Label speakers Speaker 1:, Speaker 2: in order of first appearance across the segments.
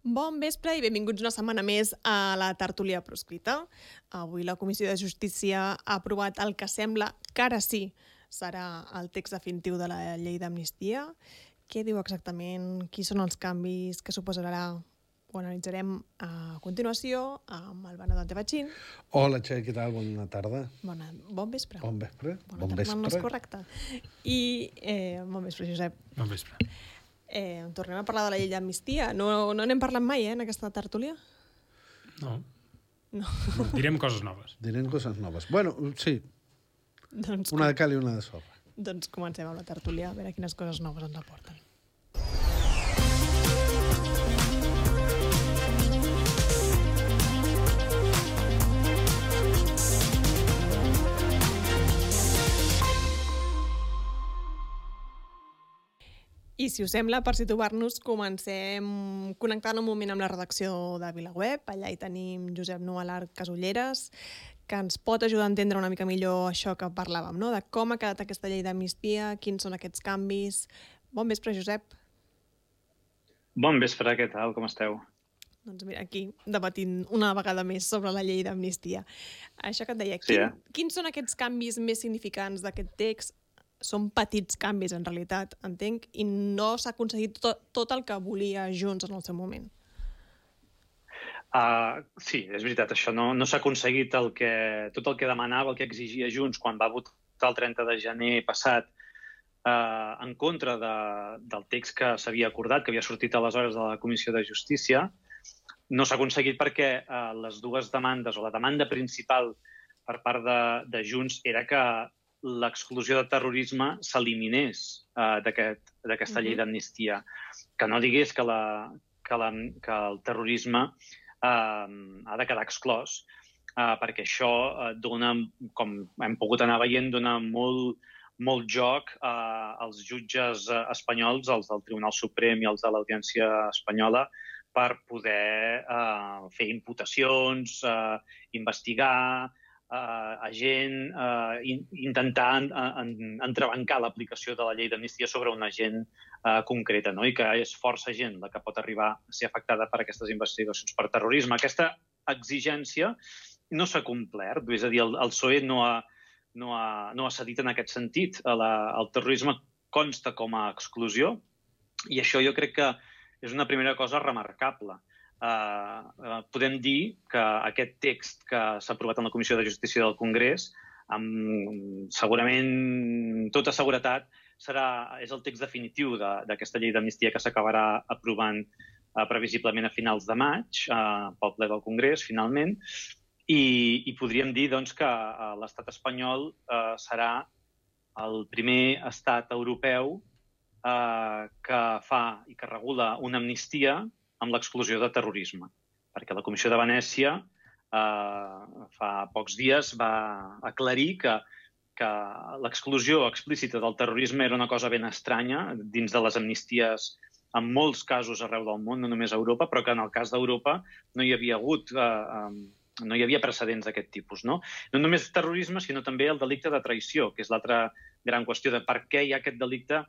Speaker 1: Bon vespre i benvinguts una setmana més a la tertúlia proscrita. Avui la Comissió de Justícia ha aprovat el que sembla que ara sí serà el text definitiu de la llei d'amnistia. Què diu exactament? Quins són els canvis que suposarà? Ho analitzarem a continuació amb el Bernat Antebachín.
Speaker 2: Hola, Txell, què tal? Bona tarda.
Speaker 1: Bon vespre.
Speaker 2: Bon vespre.
Speaker 1: Bona tarda, no és correcte. I bon vespre, Josep.
Speaker 3: Bon vespre.
Speaker 1: Tornem a parlar de la llei d'amnistia. No n'hem parlat mai, en aquesta tertúlia?
Speaker 3: No.
Speaker 1: No.
Speaker 3: Direm coses noves.
Speaker 2: Direm coses noves. Bueno, sí.
Speaker 1: Doncs,
Speaker 2: Una de cal i una de sorra.
Speaker 1: doncs comencem amb la tertúlia, a veure quines coses noves ens aporten. I si us sembla, per situar-nos, comencem connectant un moment amb la redacció de VilaWeb. Allà hi tenim Josep Nualar Casulleres, que ens pot ajudar a entendre una mica millor això que parlàvem, no? De com ha quedat aquesta llei d'amnistia, quins són aquests canvis. Bon vespre, Josep.
Speaker 4: Bon vespre, què tal? Com esteu?
Speaker 1: Doncs mira, aquí debatint una vegada més sobre la llei d'amnistia. Això que et deia,
Speaker 4: Sí,
Speaker 1: quins són aquests canvis més significants d'aquest text? Són petits canvis, en realitat, entenc, i no s'ha aconseguit tot el que volia Junts en el seu moment.
Speaker 4: Sí, és veritat, això no s'ha aconseguit tot el que demanava, el que exigia Junts quan va votar el 30 de gener passat en contra del text que s'havia acordat, que havia sortit aleshores de la Comissió de Justícia. No s'ha aconseguit perquè les dues demandes, o la demanda principal per part de Junts era que l'exclusió de terrorisme s'eliminés d'aquesta llei d'amnistia. Que no digués que el terrorisme ha de quedar exclòs, perquè això dona, com hem pogut anar veient, dona molt joc als jutges espanyols, els del Tribunal Suprem i els de l'Audiència Espanyola, per poder fer imputacions, investigar, agent, intentar entrebancar l'aplicació de la llei d'amnistia sobre una gent concreta, no? I que és força gent la que pot arribar a ser afectada per aquestes investigacions per terrorisme. Aquesta exigència no s'ha complert, és a dir, el PSOE no ha cedit en aquest sentit. El terrorisme consta com a exclusió i això jo crec que és una primera cosa remarcable. Podem dir que aquest text que s'ha aprovat en la Comissió de Justícia del Congrés, segurament, tota seguretat, és el text definitiu d'aquesta llei d'amnistia que s'acabarà aprovant previsiblement a finals de maig pel ple del Congrés, finalment, i podríem dir doncs, que l'estat espanyol serà el primer estat europeu que fa i que regula una amnistia amb l'exclusió de terrorisme. Perquè la Comissió de Venècia fa pocs dies va aclarir que l'exclusió explícita del terrorisme era una cosa ben estranya dins de les amnisties en molts casos arreu del món, no només a Europa, però que en el cas d'Europa no hi havia precedents d'aquest tipus. No només terrorisme, sinó també el delicte de traïció, que és l'altra gran qüestió de per què hi ha aquest delicte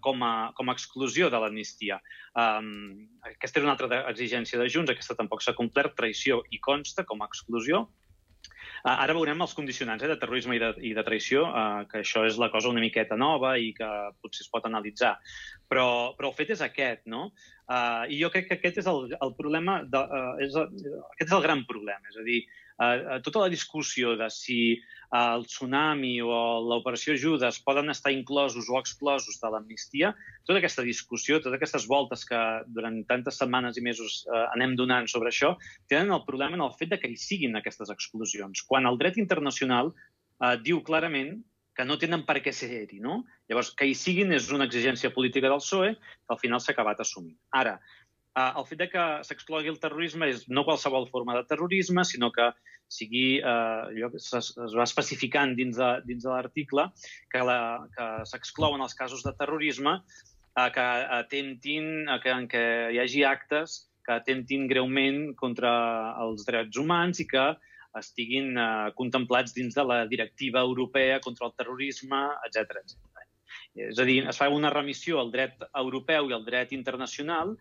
Speaker 4: com a exclusió de l'amnistia. Aquesta era una altra exigència de Junts, aquesta tampoc s'ha complert, traïció i consta com a exclusió. Ara veurem els condicionants de terrorisme i de traïció, que això és la cosa una miqueta nova i que potser es pot analitzar. Però el fet és aquest, no? I jo crec que aquest és el problema, aquest és el gran problema. És a dir, tota la discussió de si el tsunami o l'operació Judes poden estar inclosos o exclosos de l'amnistia, tota aquesta discussió, totes aquestes voltes que durant tantes setmanes i mesos anem donant sobre això, tenen el problema en el fet que hi siguin aquestes exclusions, quan el dret internacional diu clarament que no tenen per què ser-hi, no? Llavors, que hi siguin és una exigència política del PSOE que al final s'ha acabat assumint. Ara, el fet que s'exclogui el terrorisme és no qualsevol forma de terrorisme, sinó que es va especificant dins de l'article que s'exclouen els casos de terrorisme que atemptin, en què hi hagi actes que atemptin greument contra els drets humans i que estiguin contemplats dins de la directiva europea contra el terrorisme, etc. És a dir, es fa una remissió al dret europeu i al dret internacional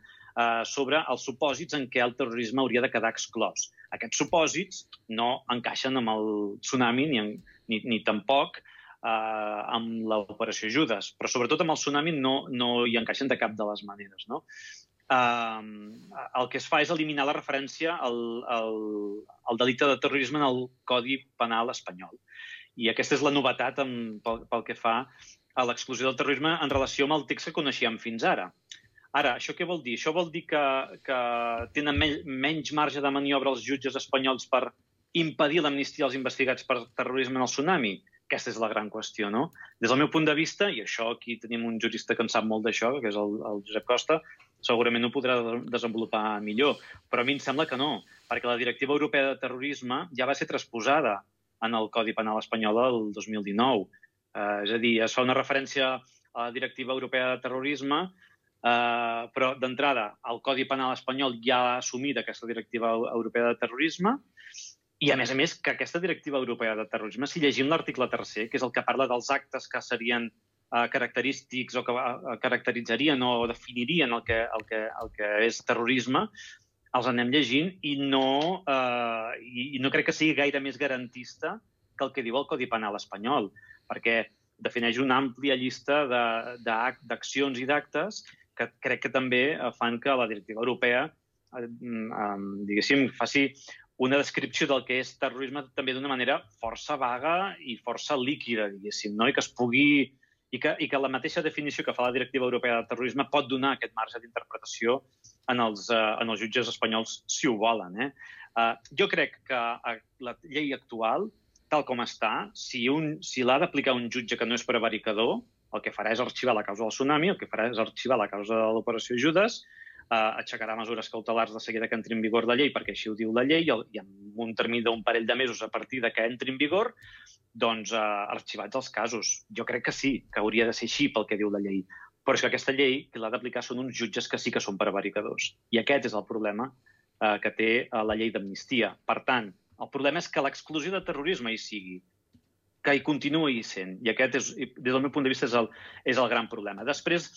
Speaker 4: sobre els supòsits en què el terrorisme hauria de quedar exclòs. Aquests supòsits no encaixen amb el tsunami ni tampoc amb l'operació Judes, però sobretot amb el tsunami no hi encaixen de cap de les maneres, no? El que es fa és eliminar la referència al delicte de terrorisme en el Codi Penal espanyol. I aquesta és la novetat pel que fa a l'exclusió del terrorisme en relació amb el text que coneixíem fins ara. Ara, això què vol dir? Això vol dir que tenen menys marge de maniobra els jutges espanyols per impedir l'amnistia als investigats per terrorisme en el tsunami? Aquesta és la gran qüestió, no? Des del meu punt de vista, i això aquí tenim un jurista que en sap molt d'això, que és el Josep Costa, segurament ho podrà desenvolupar millor, però a mi em sembla que no, perquè la Directiva Europea de Terrorisme ja va ser transposada en el Codi Penal espanyol el 2019. És a dir, es fa una referència a la Directiva Europea de Terrorisme, però d'entrada el Codi Penal espanyol ja ha assumit aquesta Directiva Europea de Terrorisme i, a més, que aquesta Directiva Europea de Terrorisme, si llegim l'article 3è, que és el que parla dels actes que serien característics o que caracteritzarien o definirien el que és terrorisme, els anem llegint i no crec que sigui gaire més garantista que el que diu el Codi Penal espanyol, perquè defineix una àmplia llista d'accions i d'actes que crec que també fan que la directiva europea, diguéssim, faci una descripció del que és terrorisme també d'una manera força vaga i força líquida, diguéssim, no? I que es pugui i que la mateixa definició que fa la Directiva Europea de Terrorisme pot donar aquest marge d'interpretació en els jutges espanyols, si ho volen. Jo crec que la llei actual, tal com està, si l'ha d'aplicar un jutge que no és prevaricador, el que farà és arxivar la causa del tsunami, el que farà és arxivar la causa de l'operació Judes, aixecarà mesures cautelars de seguida que entri en vigor la llei, perquè així ho diu la llei, i en un termini d'un parell de mesos a partir de que entri en vigor, doncs arxivats els casos. Jo crec que sí, que hauria de ser així pel que diu la llei. Però és que aquesta llei, que l'ha d'aplicar, són uns jutges que sí que són prevaricadors. I aquest és el problema que té la llei d'amnistia. Per tant, el problema és que l'exclusió de terrorisme hi sigui, que hi continuï sent. I aquest, des del meu punt de vista, és el gran problema. Després,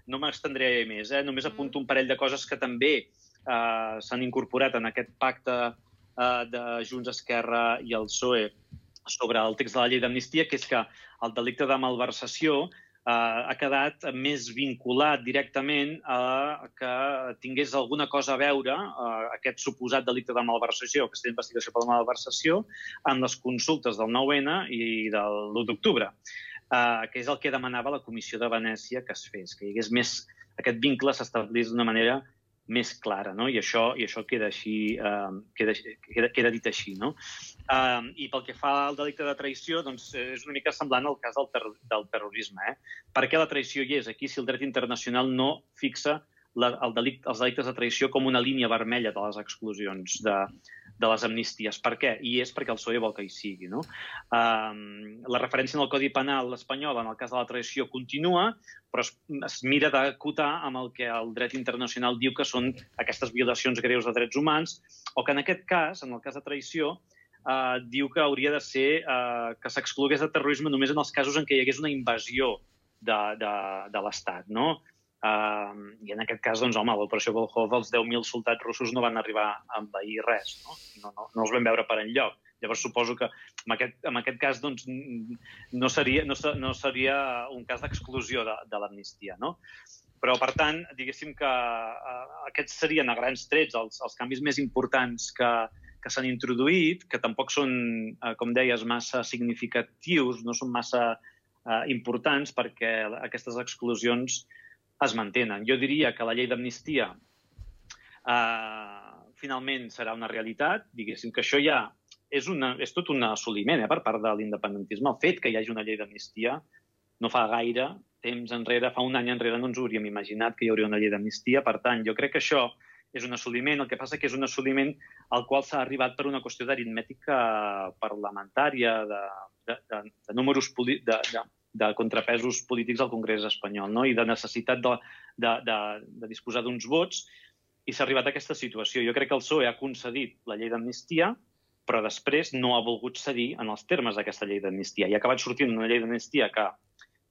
Speaker 4: no m'estendré més, només apunto un parell de coses que també s'han incorporat en aquest pacte de Junts, Esquerra i el PSOE sobre el text de la llei d'amnistia, que és que el delicte de malversació ha quedat més vinculat directament a que tingués alguna cosa a veure aquest suposat delicte de malversació, aquesta investigació per la malversació, amb les consultes del 9-N i de l'1 d'octubre, que és el que demanava la Comissió de Venècia que es fes, que hi hagués més, aquest vincle s'establís d'una manera més clara, no? I això queda així, queda dit així, no? I pel que fa al delicte de traïció, doncs és una mica semblant al cas del terrorisme. Per què la traïció hi és aquí si el dret internacional no fixa els delictes de traïció com una línia vermella de les exclusions de les amnisties? Per què? I és perquè el PSOE vol que hi sigui, no? La referència en el Codi Penal espanyol en el cas de la traïció continua, però es mira d'acotar amb el que el dret internacional diu que són aquestes violacions greus de drets humans, o que en aquest cas, en el cas de traïció, diu que hauria de ser que s'exclogués de terrorisme només en els casos en què hi hagués una invasió de l'Estat, no? I en aquest cas, doncs, home, l'operació Volkhov, els 10.000 soldats russos no van arribar a envair res, no els vam veure per enlloc. Llavors suposo que en aquest cas doncs, no seria un cas d'exclusió de l'amnistia, no? Però, per tant, diguéssim que aquests serien a grans trets els canvis més importants que s'han introduït, que tampoc són, com deies, massa significatius, no són massa importants perquè aquestes exclusions es mantenen. Jo diria que la llei d'amnistia finalment serà una realitat, diguéssim que això ja és tot un assoliment per part de l'independentisme. El fet que hi hagi una llei d'amnistia no fa gaire temps enrere, fa un any enrere no ens hauríem imaginat que hi hauria una llei d'amnistia. Per tant, jo crec que això és un assoliment. El que passa que és un assoliment al qual s'ha arribat per una qüestió d'aritmètica parlamentària, de números de contrapesos polítics al Congrés espanyol, no? I de necessitat de disposar d'uns vots, i s'ha arribat a aquesta situació. Jo crec que el PSOE ha concedit la llei d'amnistia, però després no ha volgut cedir en els termes d'aquesta llei d'amnistia. I ha acabat sortint una llei d'amnistia que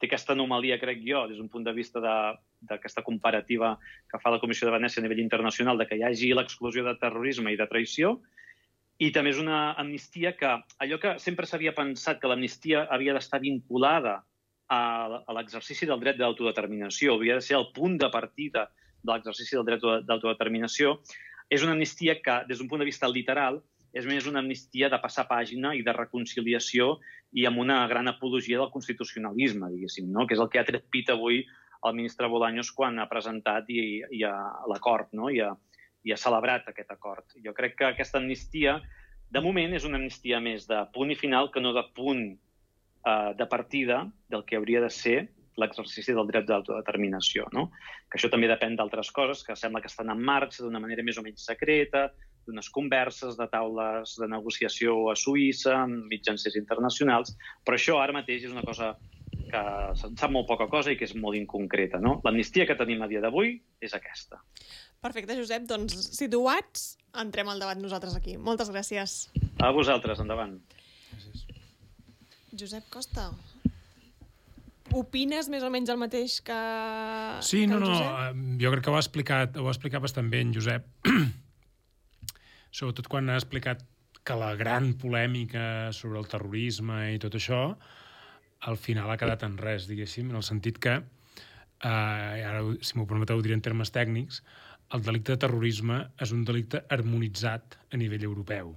Speaker 4: té aquesta anomalia, crec jo, des d'un punt de vista d'aquesta comparativa que fa la Comissió de Venècia a nivell internacional, de que hi hagi l'exclusió de terrorisme i de traïció, i també és una amnistia que, allò que sempre s'havia pensat que l'amnistia havia d'estar vinculada a l'exercici del dret d'autodeterminació, havia de ser el punt de partida de l'exercici del dret d'autodeterminació, és una amnistia que, des d'un punt de vista literal, és més una amnistia de passar pàgina i de reconciliació i amb una gran apologia del constitucionalisme, diguéssim, no? Que és el que ha tret pit avui el ministre Bolaños quan ha presentat l'acord, no? I ha celebrat aquest acord. Jo crec que aquesta amnistia, de moment, és una amnistia més de punt i final que no de punt de partida del que hauria de ser l'exercici del dret d'autodeterminació, no? Que això també depèn d'altres coses que sembla que estan en marxa d'una manera més o menys secreta, d'unes converses, de taules de negociació a Suïssa, amb mitjancers internacionals, però això ara mateix és una cosa que se'n sap molt poca cosa i que és molt inconcreta, no? L'amnistia que tenim a dia d'avui és aquesta.
Speaker 1: Perfecte, Josep. Doncs, situats, entrem al debat nosaltres aquí. Moltes gràcies.
Speaker 4: A vosaltres, endavant.
Speaker 1: Josep Costa, opines més o menys el mateix que
Speaker 3: Sí,
Speaker 1: que
Speaker 3: no,
Speaker 1: el Josep?
Speaker 3: jo crec que ho ha explicat bastant bé en Josep. Sobretot quan ha explicat que la gran polèmica sobre el terrorisme i tot això, al final ha quedat en res, diguéssim, en el sentit que, ara, si m'ho permeteu, ho diré en termes tècnics, el delicte de terrorisme és un delicte harmonitzat a nivell europeu.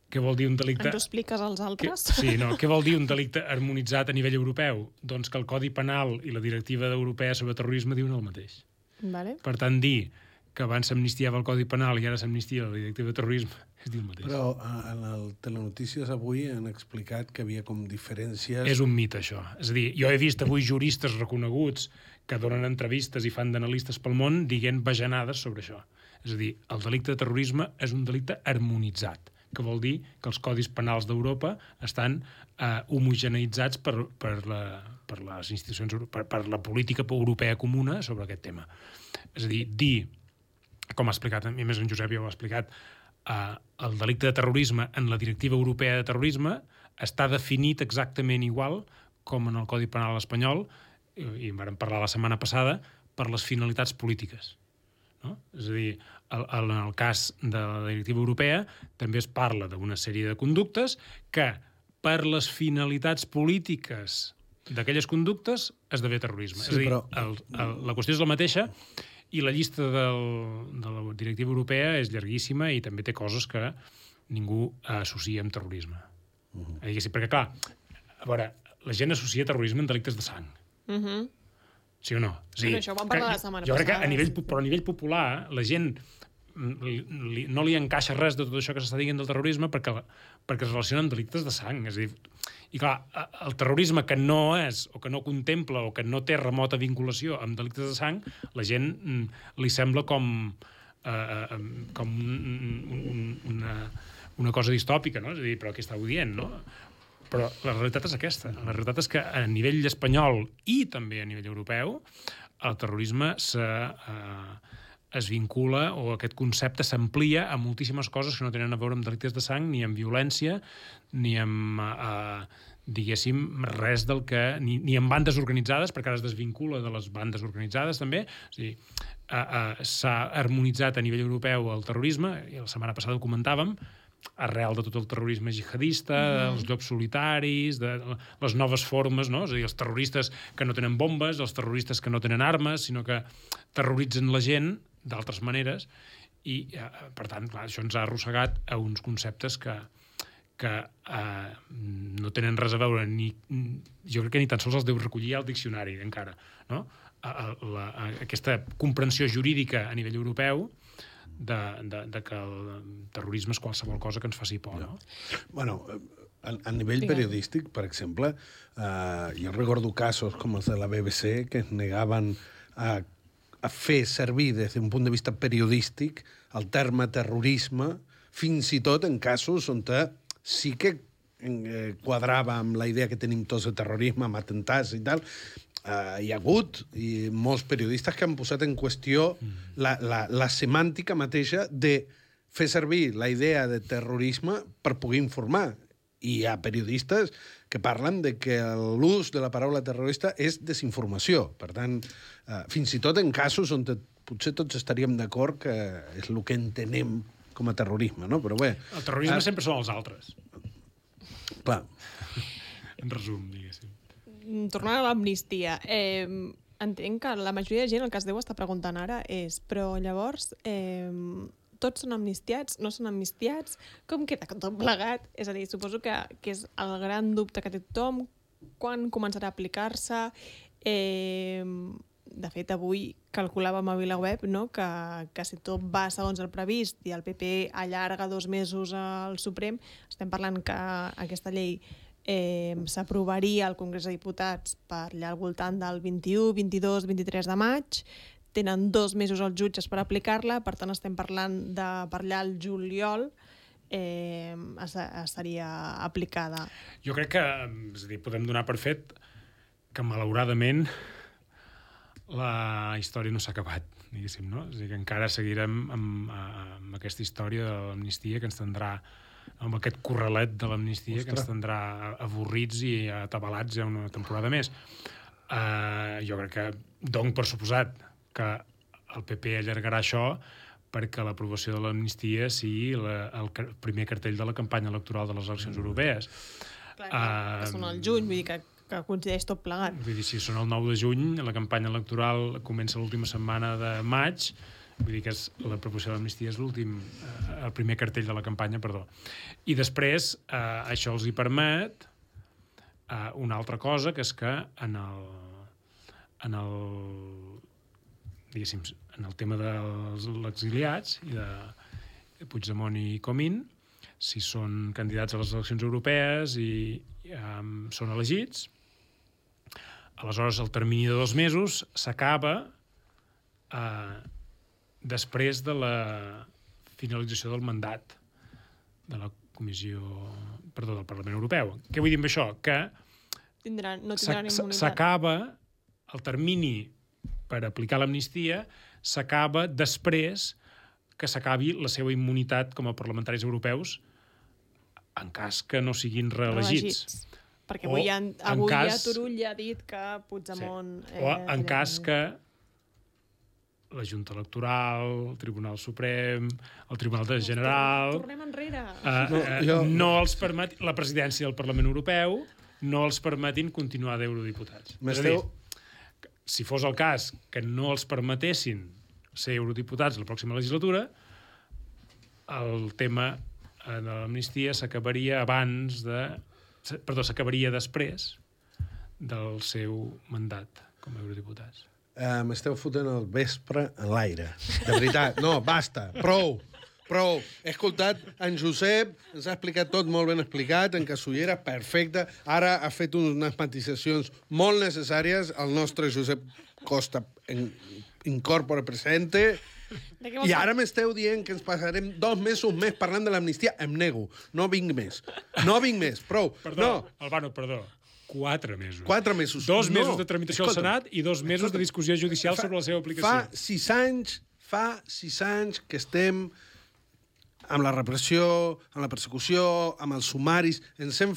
Speaker 3: Què vol dir un delicte...
Speaker 1: Ens ho expliques als altres?
Speaker 3: Què vol dir un delicte harmonitzat a nivell europeu? Doncs que el Codi Penal i la Directiva Europea sobre terrorisme diuen el mateix.
Speaker 1: Vale.
Speaker 3: Per tant, dir que abans s'amnistiava el Codi Penal i ara s'amnistia la Directiva de Terrorisme és dir el mateix.
Speaker 2: Però en el Telenotícies avui han explicat que havia com diferències...
Speaker 3: És un mite, això. És a dir, jo he vist avui juristes reconeguts que donen entrevistes i fan d'analistes pel món dient bajanades sobre això. És a dir, el delicte de terrorisme és un delicte harmonitzat, que vol dir que els codis penals d'Europa estan homogeneitzats per les institucions, per la política europea comuna sobre aquest tema. És a dir, com ha explicat, a més en Josep ja ho ha explicat, el delicte de terrorisme en la Directiva Europea de Terrorisme està definit exactament igual com en el Codi Penal espanyol, i en vam parlar la setmana passada, per les finalitats polítiques. No? És a dir, en el cas de la Directiva Europea també es parla d'una sèrie de conductes que per les finalitats polítiques d'aquelles conductes esdevé terrorisme.
Speaker 2: Sí,
Speaker 3: és a dir,
Speaker 2: però...
Speaker 3: la qüestió és la mateixa i la llista de la Directiva Europea és llarguíssima i també té coses que ningú associa amb terrorisme. Perquè, clar, a veure, la gent associa terrorisme amb delictes de sang. Sí o no? Sí.
Speaker 1: Això ho vam parlar la setmana
Speaker 3: jo crec que
Speaker 1: passada.
Speaker 3: però a nivell popular la gent no li encaixa res de tot això que s'està dient del terrorisme perquè es relaciona amb delictes de sang. És a dir, i clar, el terrorisme que no és, o que no contempla, o que no té remota vinculació amb delictes de sang, la gent li sembla com una cosa distòpica, no? És a dir, però què estàu dient, no? Però la realitat és aquesta. La realitat és que a nivell espanyol i també a nivell europeu el terrorisme es vincula, o aquest concepte s'amplia a moltíssimes coses que no tenen a veure amb delictes de sang, ni amb violència, ni amb, diguéssim, res del que... Ni amb bandes organitzades, perquè ara es desvincula de les bandes organitzades, també. És a dir, s'ha harmonitzat a nivell europeu el terrorisme, i la setmana passada ho comentàvem, arrel de tot el terrorisme jihadista, els llops solitaris, de les noves formes, no? És a dir, els terroristes que no tenen bombes, els terroristes que no tenen armes, sinó que terroritzen la gent d'altres maneres, i, per tant, clar, això ens ha arrossegat a uns conceptes que no tenen res a veure, jo crec que ni tan sols els deu recollir al diccionari, encara, no? Aquesta comprensió jurídica a nivell europeu de que el terrorisme és qualsevol cosa que ens faci por, no?
Speaker 2: Bueno, a nivell periodístic, per exemple, jo recordo casos com els de la BBC que es negaven a fer servir des d'un punt de vista periodístic el terme terrorisme, fins i tot en casos on sí que quadrava amb la idea que tenim tots de terrorisme, amb atentats i tal. Hi ha hagut molts periodistes que han posat en qüestió la semàntica mateixa de fer servir la idea de terrorisme per poder informar. hi ha periodistes que parlen de que l'ús de la paraula terrorista és desinformació. Per tant, fins i tot en casos on potser tots estaríem d'acord que és el que entenem com a terrorisme, no? Però bé...
Speaker 3: El terrorisme sempre són els altres.
Speaker 2: Clar.
Speaker 3: En resum, diguéssim.
Speaker 1: Tornant a l'amnistia, entenc que la majoria de gent el que es deu estar preguntant ara és però llavors tots són amnistiats, no són amnistiats, com queda tot plegat? És a dir, suposo que és el gran dubte que té tothom, quan començarà a aplicar-se. De fet, avui calculàvem a VilaWeb, no?, que si tot va segons el previst i el PP allarga 2 mesos al Suprem, estem parlant que aquesta llei s'aprovaria al Congrés de Diputats per allà al voltant del 21, 22, 23 de maig. Tenen 2 mesos els jutges per aplicar-la, per tant estem parlant de per allà al juliol seria aplicada.
Speaker 3: Jo crec que, és a dir, podem donar per fet que malauradament la història no s'ha acabat, diguéssim, no? És a dir, que encara seguirem amb aquesta història de l'amnistia que ens tindrà, amb aquest corralet de l'amnistia que ens tindrà avorrits i atabalats ja una temporada més. Jo crec que dono per suposat que el PP allargarà això perquè l'aprovació de l'amnistia sigui el primer cartell de la campanya electoral de les eleccions europees.
Speaker 1: Clar, que són al juny, vull dir que coincideix tot plegat.
Speaker 3: Vull dir, si són el 9 de juny, la campanya electoral comença l'última setmana de maig, vull dir que l'aprovació de l'amnistia és el primer cartell de la campanya, perdó. I després això els hi permet una altra cosa, que és que en el tema dels exiliats i de Puigdemont i Comín, si són candidats a les eleccions europees i són elegits, aleshores el termini de 2 mesos s'acaba després de la finalització del mandat de la del Parlament Europeu. Què vull dir amb això? Que
Speaker 1: no tindran immunitat.
Speaker 3: S'acaba el termini per aplicar l'amnistia, s'acaba després que s'acabi la seva immunitat com a parlamentaris europeus en cas que no siguin reelegits.
Speaker 1: Perquè avui Turull ja ha dit que Puigdemont...
Speaker 3: Sí. O en cas que la Junta Electoral, el Tribunal Suprem, el Tribunal General...
Speaker 1: Tornem enrere.
Speaker 3: No els permet, la presidència del Parlament Europeu no els permetin continuar d'eurodiputats. És a dir, si fos el cas que no els permetessin ser eurodiputats la pròxima legislatura, el tema de l'amnistia s'acabaria s'acabaria després del seu mandat com a eurodiputats.
Speaker 2: M'esteu fotent el vespre en l'aire. De veritat. No, basta. Prou. He escoltat en Josep, ens ha explicat tot molt ben explicat, en Casullera, perfecte. Ara ha fet unes matisacions molt necessàries. El nostre Josep Costa incorpora presente. I ara m'esteu dient que ens passarem 2 mesos més parlant de l'amnistia. Em nego. No vinc més. Prou.
Speaker 3: Perdó, Albano, perdó. 4 mesos.
Speaker 2: 4 mesos.
Speaker 3: 2 mesos de tramitació al Senat i 2 mesos de discussió judicial sobre la seva aplicació.
Speaker 2: Fa 6 anys que estem amb la repressió, amb la persecució, amb els sumaris. Ens hem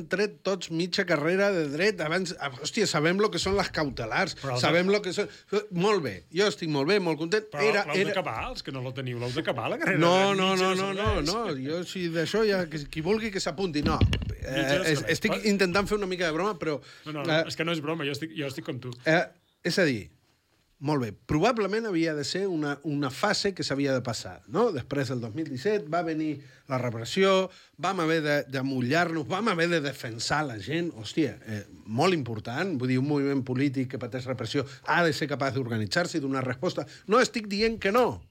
Speaker 2: tret tots mitja carrera de dret. Abans, hòstia, sabem el que són les cautelars. Sabem el que són... Molt bé. Jo estic molt bé, molt content.
Speaker 3: Però l'heu d'acabar, els que no la teniu, l'heu d'acabar, la carrera.
Speaker 2: No. Jo, si d'això, ja, qui vulgui que s'apunti. No. Estic intentant fer una mica de broma, però...
Speaker 3: No, és que no és broma, jo estic com tu.
Speaker 2: És a dir, molt bé, probablement havia de ser una fase que s'havia de passar, no? Després del 2017 va venir la repressió, vam haver de mullar-nos, vam haver de defensar la gent, hòstia, molt important, vull dir, un moviment polític que pateix repressió ha de ser capaç d'organitzar-se i donar resposta. No estic dient que no,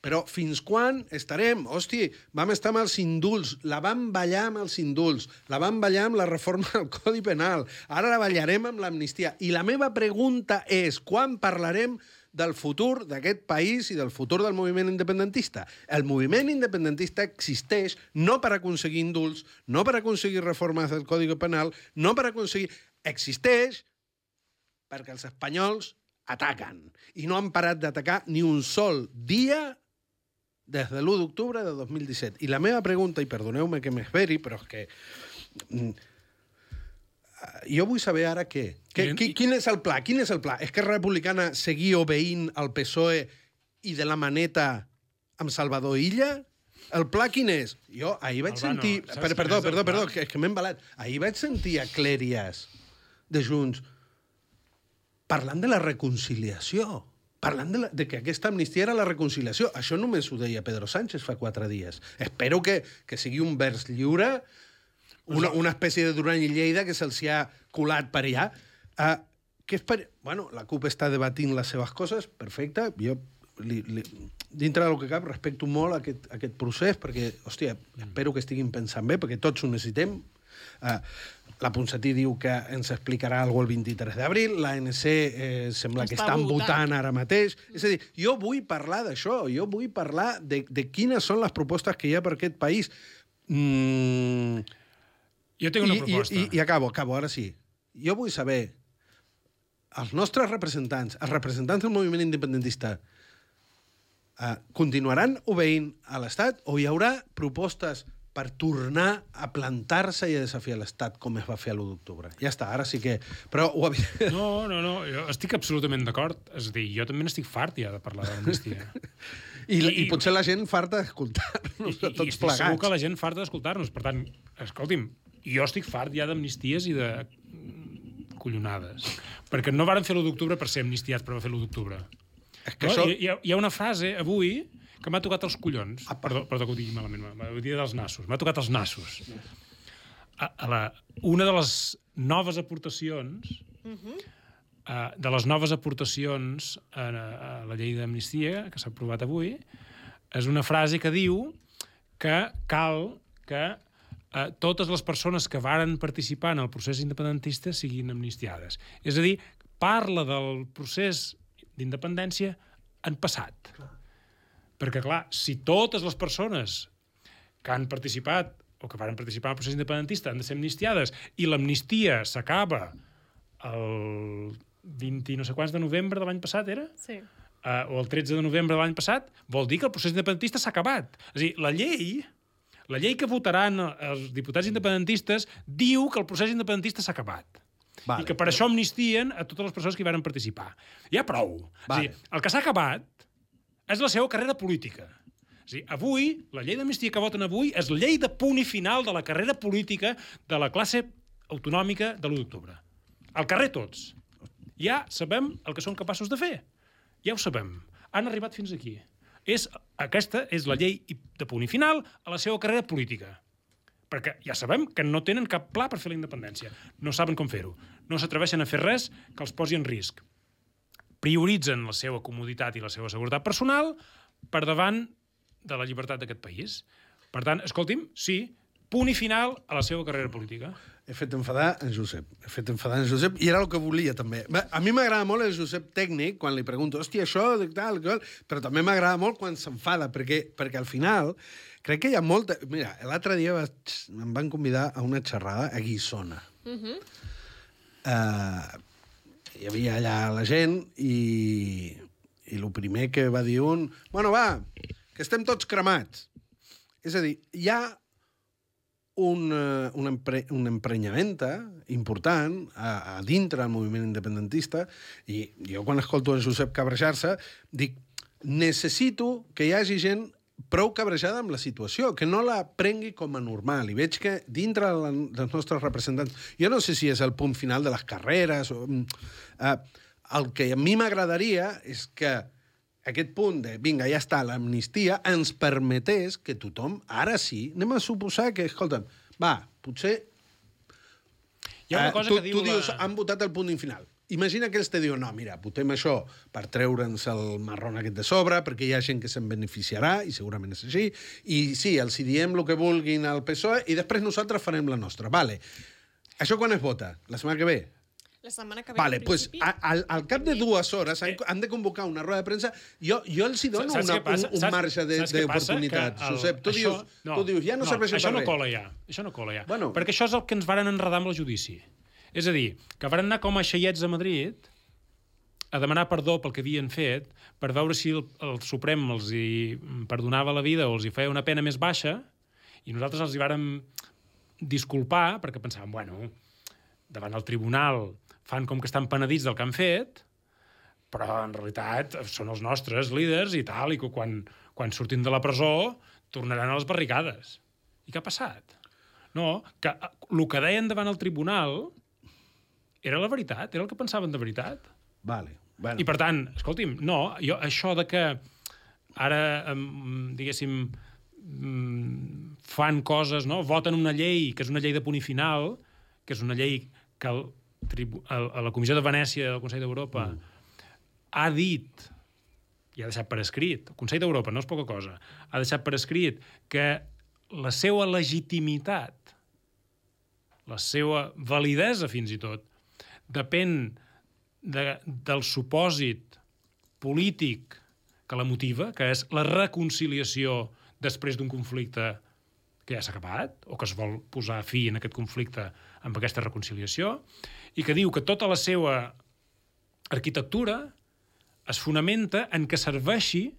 Speaker 2: però fins quan estarem? Hòstia, vam estar amb els indults, la vam ballar amb els indults, la vam ballar amb la reforma del Codi Penal, ara la ballarem amb l'amnistia. I la meva pregunta és, quan parlarem del futur d'aquest país i del futur del moviment independentista? El moviment independentista existeix no per aconseguir indults, no per aconseguir reformes del Codi Penal, no per aconseguir... Existeix perquè els espanyols ataquen. I no han parat d'atacar ni un sol dia des de l'1 d'octubre de 2017. I la meva pregunta, i perdoneu-me que m'esveri, però és que... jo vull saber ara què. Quin és el pla? Quin és el pla? Esquerra Republicana seguir obeint al PSOE i de la maneta amb Salvador Illa? El pla quin és? Jo ahir vaig sentir... Perdó, que m'he embalat. Ahir vaig sentir a Clèries de Junts parlant de la reconciliació, parlant de que aquesta amnistia era la reconciliació. Això només ho deia Pedro Sánchez fa 4 dies. Espero que sigui un vers lliure, una espècie de Duran i Lleida que se'ls ha colat per allà. Bueno, la CUP està debatint les seves coses, perfecte. Jo, dintre del que cap, respecto molt aquest procés, perquè, hòstia, espero que estiguin pensant bé, perquè tots ho necessitem. La Ponsatí diu que ens explicarà alguna cosa el 23 d'abril, l'ANC sembla que estan votant ara mateix. És a dir, jo vull parlar d'això, jo vull parlar de quines són les propostes que hi ha per aquest país.
Speaker 3: Jo tinc una proposta.
Speaker 2: I acabo, ara sí. Jo vull saber, els nostres representants, els representants del moviment independentista, continuaran obeint a l'Estat o hi haurà propostes per tornar a plantar-se i a desafiar l'Estat com es va fer l'1 d'octubre? Ja està, ara sí que... Però ho havia...
Speaker 3: No, jo estic absolutament d'acord. És a dir, jo també n'estic fart ja de parlar d'amnistia.
Speaker 2: I potser la gent farta d'escoltar-nos, tots
Speaker 3: estic
Speaker 2: plegats.
Speaker 3: Segur que la gent farta d'escoltar-nos. Per tant, escolti'm, jo estic fart ja d'amnisties i de collonades. Perquè no varen fer l'1 d'octubre per ser amnistiats, però va fer l'1 d'octubre. Hi ha una frase avui que m'ha tocat els collons. Perdó que ho digui malament, m'ha dit dels nassos. M'ha tocat els nassos. Una de les noves aportacions a la llei d'amnistia que s'ha aprovat avui és una frase que diu que cal que totes les persones que varen participar en el procés independentista siguin amnistiades. És a dir, parla del procés d'independència en passat. Perquè, clar, si totes les persones que han participat o que van participar en el procés independentista han de ser amnistiades i l'amnistia s'acaba el 20 no sé quants de novembre de l'any passat, era?
Speaker 1: Sí.
Speaker 3: O el 13 de novembre de l'any passat, vol dir que el procés independentista s'ha acabat. És a dir, la llei que votaran els diputats independentistes diu que el procés independentista s'ha acabat. Vale. I que per això amnistien a totes les persones que hi van participar. Ja prou. Vale. És a dir, el que s'ha acabat és la seva carrera política. És a dir, avui, la llei d'amnistia que voten avui és la llei de punt i final de la carrera política de la classe autonòmica de l'1 d'octubre. Al carrer tots. Ja sabem el que són capaços de fer. Ja ho sabem. Han arribat fins aquí. Aquesta és la llei de punt i final a la seva carrera política. Perquè ja sabem que no tenen cap pla per fer la independència. No saben com fer-ho. No s'atreveixen a fer res que els posi en risc. Prioritzen la seva comoditat i la seva seguretat personal per davant de la llibertat d'aquest país. Per tant, escolti'm, sí, punt i final a la seva carrera política.
Speaker 2: He fet enfadar en Josep. I era el que volia, també. A mi m'agrada molt el Josep tècnic, quan li pregunto, hòstia, això, tal, però també m'agrada molt quan s'enfada, perquè al final crec que hi ha molta... Mira, l'altre dia em van convidar a una xerrada a Guissona. Hi havia allà la gent i el primer que va dir bueno, va, que estem tots cremats. És a dir, hi ha una emprenyamenta important a dintre del moviment independentista i jo quan escolto a Josep cabrejar-se dic, necessito que hi hagi gent prou cabrejada amb la situació, que no la prengui com a normal. I veig que dintre dels nostres representants, jo no sé si és el punt final de les carreres, el que a mi m'agradaria és que aquest punt de, vinga, ja està, l'amnistia, ens permetés que tothom, ara sí, anem a suposar que, escolta'm, va, potser...
Speaker 3: Hi ha una cosa que diu
Speaker 2: tu dius, han votat el punt final. Imagina que ells te diuen, no, mira, votem això per treure'ns el marrón aquest de sobre, perquè hi ha gent que se'n beneficiarà, i segurament és així, i sí, els hi diem el que vulguin al PSOE, i després nosaltres farem la nostra. Vale. Això quan es vota? La setmana que ve?
Speaker 1: La setmana que ve,
Speaker 2: vale, pues, al cap de 2 hores han de convocar una roda de premsa. Jo els hi dono un marge d'oportunitat. Josep, tu dius, ja no serveix per res.
Speaker 3: Això no cola ja. Bueno. Perquè això és el que ens varen enredar amb el judici. És a dir, que varen anar com a xaiets a Madrid a demanar perdó pel que havien fet per veure si el Suprem els hi perdonava la vida o els hi feia una pena més baixa, i nosaltres els hi vàrem disculpar perquè pensàvem, bueno, davant el tribunal fan com que estan penedits del que han fet, però en realitat són els nostres líders i tal, i que quan surtin de la presó tornaran a les barricades. I què ha passat? No, que el que deien davant el tribunal era la veritat, era el que pensaven de veritat.
Speaker 2: Vale. Bueno.
Speaker 3: I per tant, escolti'm, no, això de que ara, diguéssim, fan coses, no? Voten una llei, que és una llei de punt i final, que és una llei que la Comissió de Venècia del Consell d'Europa ha dit, i ha deixat per escrit, el Consell d'Europa no és poca cosa, ha deixat per escrit que la seva legitimitat, la seva validesa fins i tot, depèn del supòsit polític que la motiva, que és la reconciliació després d'un conflicte que ja s'ha acabat, o que es vol posar fi en aquest conflicte amb aquesta reconciliació, i que diu que tota la seva arquitectura es fonamenta en que serveixi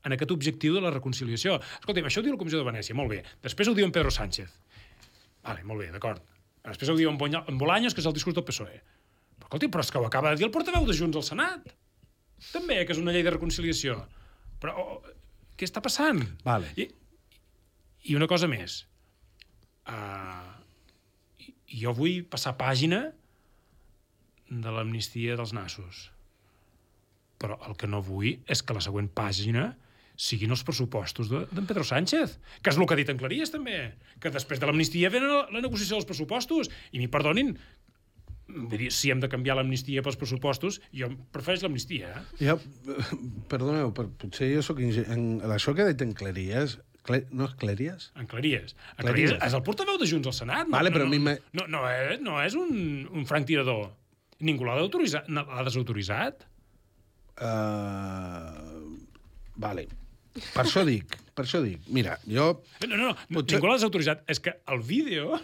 Speaker 3: en aquest objectiu de la reconciliació. Escolta'm, això ho diu la Comissió de Venècia, molt bé. Després ho diu en Pedro Sánchez. Vale, molt bé, d'acord. Després ho diu en Bolaños, que és el discurs del PSOE. Però, escolta, però és que ho acaba de dir el portaveu de Junts al Senat. També, que és una llei de reconciliació. Però què està passant?
Speaker 2: Vale.
Speaker 3: I una cosa més. Jo vull passar pàgina de l'amnistia dels nassos. Però el que no vull és que la següent pàgina siguin els pressupostos d'en Pedro Sánchez, que és el que ha dit en Claries, també, que després de l'amnistia ve la negociació dels pressupostos. I m'hi perdonin, si hem de canviar l'amnistia pels pressupostos, jo prefereix l'amnistia.
Speaker 2: Jo, perdoneu, potser jo soc això que ha dit en Claries, no és Claries?
Speaker 3: En Claries. En Claries és el portaveu de Junts al Senat.
Speaker 2: Vale, però
Speaker 3: no és un franc tirador. Ningú l'ha desautoritzat.
Speaker 2: Vale. Per això dic. Mira, jo...
Speaker 3: No, ningú l'ha desautoritzat. És que el vídeo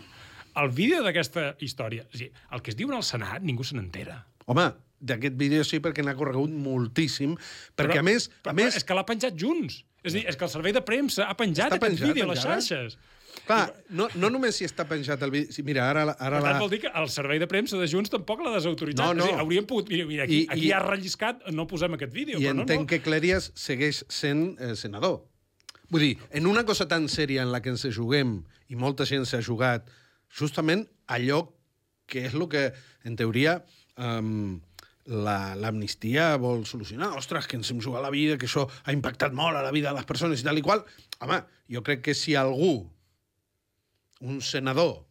Speaker 3: d'aquesta història, o sigui, el que es diu al Senat, ningú se n'entera.
Speaker 2: Home, d'aquest vídeo sí, perquè n'ha corregut moltíssim, perquè a més...
Speaker 3: És que l'ha penjat Junts. És a dir, és que el servei de premsa ha penjat aquest vídeo a les xarxes.
Speaker 2: Clar, no només si està penjat el vídeo... Mira, ara
Speaker 3: per tant, vol dir que el servei de premsa de Junts tampoc l'ha desautoritzat.
Speaker 2: No.
Speaker 3: És a dir, hauríem pogut... Mira, aquí ha relliscat, no posem aquest vídeo.
Speaker 2: I entenc que Claries segueix sent senador. Vull dir, en una cosa tan sèria en la que ens juguem, i molta gent s'ha jugat, justament allò que és el que, en teoria, l'amnistia vol solucionar. Ostres, que ens hem jugat la vida, que això ha impactat molt a la vida de les persones i tal i qual. Home, jo crec que si algú, un senador,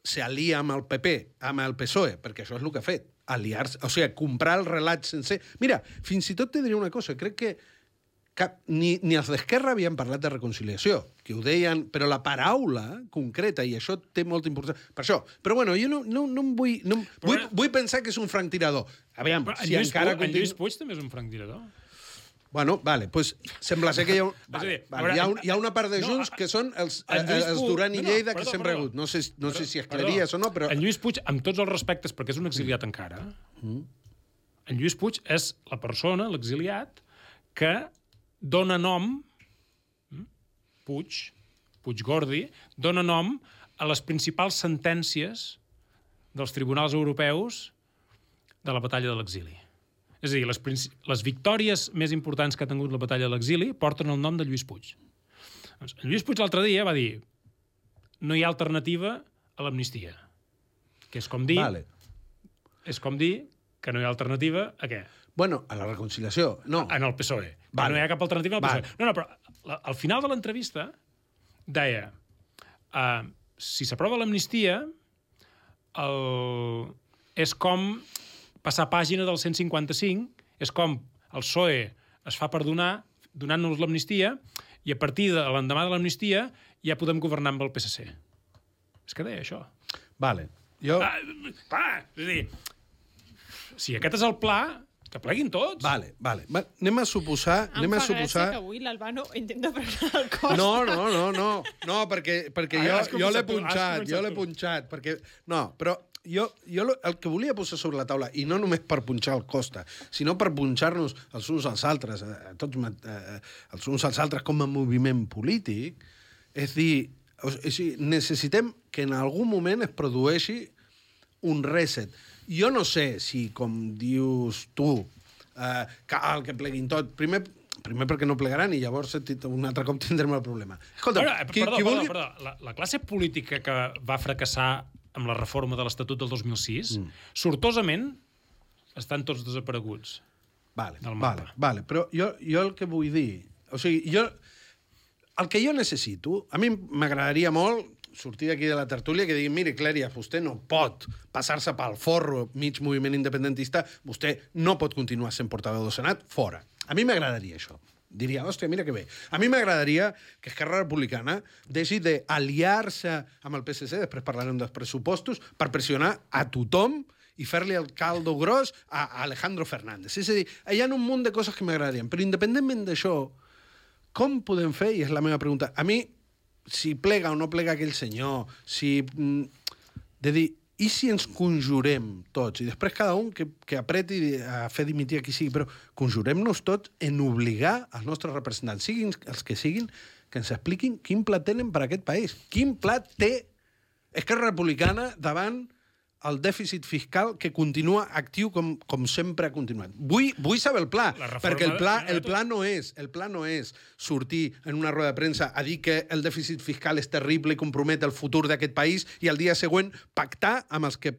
Speaker 2: s'alia amb el PP, amb el PSOE, perquè això és el que ha fet, aliar-se, o sigui, comprar el relat sencer... Mira, fins i tot te diré una cosa, crec que ni els d'Esquerra havien parlat de reconciliació, que ho deien, però la paraula concreta, i això té molta importància per això. Però bueno, jo no em vull... Vull pensar que és un franctirador. Aviam, si encara...
Speaker 3: En Lluís Puig també és un franctirador.
Speaker 2: Bueno, vale, doncs sembla ser que hi ha una part de Junts que són els Duran i Lleida que s'hem regut. No sé si es Claries o no, però...
Speaker 3: En Lluís Puig, amb tots els respectes, perquè és un exiliat encara, en Lluís Puig és la persona, l'exiliat, que dona nom, Puigdemont, dona nom a les principals sentències dels tribunals europeus de la batalla de l'exili. És a dir, les victòries més importants que ha tingut la batalla de l'exili porten el nom de Lluís Puig. Doncs, Lluís Puig l'altre dia va dir no hi ha alternativa a l'amnistia. Que és com dir...
Speaker 2: Vale.
Speaker 3: És com dir que no hi ha alternativa a què?
Speaker 2: Bueno, a la reconciliació, no.
Speaker 3: En el PSOE.
Speaker 2: Vale.
Speaker 3: No hi ha cap alternativa al PSOE. No, però al final de l'entrevista deia si s'aprova l'amnistia és com passar pàgina del 155, és com el PSOE es fa perdonar donant-nos l'amnistia i a partir de l'endemà de l'amnistia ja podem governar amb el PSC. És que deia això.
Speaker 2: Vale. Jo...
Speaker 3: És a dir, si aquest és el pla, que pleguin tots.
Speaker 2: Vale. Anem a suposar...
Speaker 1: Em fa gràcia que avui l'Albano intenta frenar el cos.
Speaker 2: No, perquè jo l'he punxat, perquè... No, però el que volia posar sobre la taula, i no només per punxar el Costa, sinó per punxar-nos els uns als altres, els uns als altres com a moviment polític, és dir, necessitem que en algun moment es produeixi un reset. Jo no sé si, com dius tu, cal que pleguin tot. Primer perquè no plegaran i llavors un altre cop tindrem el problema. Escolta,
Speaker 3: perdó. La classe política que va fracassar amb la reforma de l'Estatut del 2006, sortosament estan tots desapareguts.
Speaker 2: Vale. Però jo el que vull dir... O sigui, el que jo necessito... A mi m'agradaria molt sortir d'aquí de la tertúlia que digui, mire, Clèries, vostè no pot passar-se pel forro mig moviment independentista, vostè no pot continuar sent portaveu del Senat, fora. A mi m'agradaria això. Diria, hòstia, mira que bé. A mi m'agradaria que Esquerra Republicana deixi d'aliar-se amb el PSC, després parlarem dels pressupostos, per pressionar a tothom i fer-li el caldo gros a Alejandro Fernández. És a dir, hi ha un munt de coses que m'agradarien, però independentment d'això, com podem fer? I és la meva pregunta. A mi, si plega o no plega aquell senyor, de dir, i si ens conjurem tots, i després cada un que apreti a fer dimitir a qui sigui, però conjurem-nos tots en obligar els nostres representants, siguin els que siguin, que ens expliquin quin pla tenen per a aquest país. Quin pla té Esquerra Republicana davant el dèficit fiscal que continua actiu com sempre ha continuat. Vull saber el pla, perquè el pla no és sortir en una roda de premsa a dir que el dèficit fiscal és terrible i compromet el futur d'aquest país i el dia següent pactar amb els que